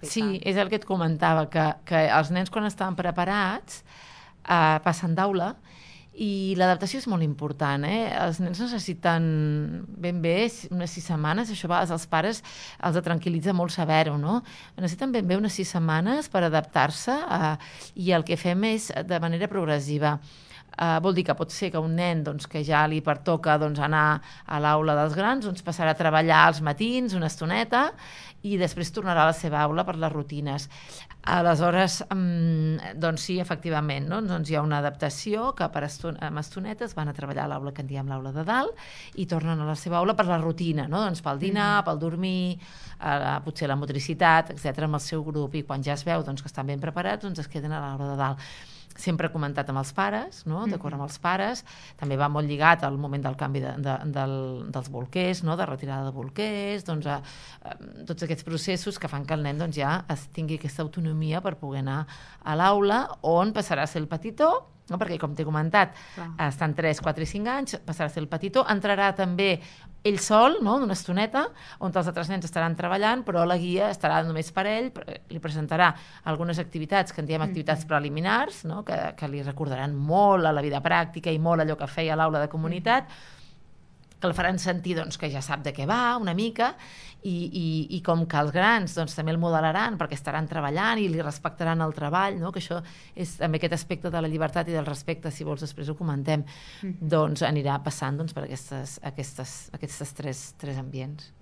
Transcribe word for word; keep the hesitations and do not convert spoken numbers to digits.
que Sí, fan. és el que et comentava, que, que els nens quan estan preparats eh, passen d'aula i l'adaptació és molt important, eh? Els nens necessiten ben bé unes sis setmanes, això a vegades als pares els tranquil·litza molt saber-ho, no? Necessiten ben bé unes sis setmanes per adaptar-se eh, i el que fem és de manera progressiva. Uh, vol dir que pot ser que un nen doncs, que ja li pertoca doncs, anar a l'aula dels grans doncs, passarà a treballar als matins una estoneta i després tornarà a la seva aula per les rutines. Aleshores, um, doncs sí, efectivament, no? Doncs hi ha una adaptació que per eston amb estonetes van a treballar a l'aula que en diem l'aula de dalt i tornen a la seva aula per la rutina, no? Doncs pel dinar, mm. pel dormir, uh, potser la motricitat, etcètera, amb el seu grup, i quan ja es veu doncs, que estan ben preparats, doncs es queden a l'aula de dalt. Sempre comentat amb els pares, no? D'acord amb els pares, també va molt lligat al moment del canvi de, de, del, dels bolquers, no? De retirada de bolquers, doncs, a, a, tots aquests processos que fan que el nen doncs, ja es tingui aquesta autonomia per poder anar a l'aula, on passarà a ser el petitó, no? Perquè com t'he comentat, clar, estan tres, quatre i cinc anys, passarà a ser el petitó, entrarà també ell sol, no? D'una estoneta, on els altres nens estaran treballant, però la guia estarà només per ell, li presentarà algunes activitats, que en diem activitats preliminars, no? que, que li recordaran molt a la vida pràctica i molt allò que feia a l'aula de comunitat, que el faran sentir doncs, que ja sap de què va una mica, i, i, i com que els grans doncs, també el modelaran perquè estaran treballant i li respectaran el treball, no? Que això és també aquest aspecte de la llibertat i del respecte, si vols després ho comentem, mm-hmm. doncs anirà passant doncs, per aquestes, aquestes, aquestes tres, tres ambients.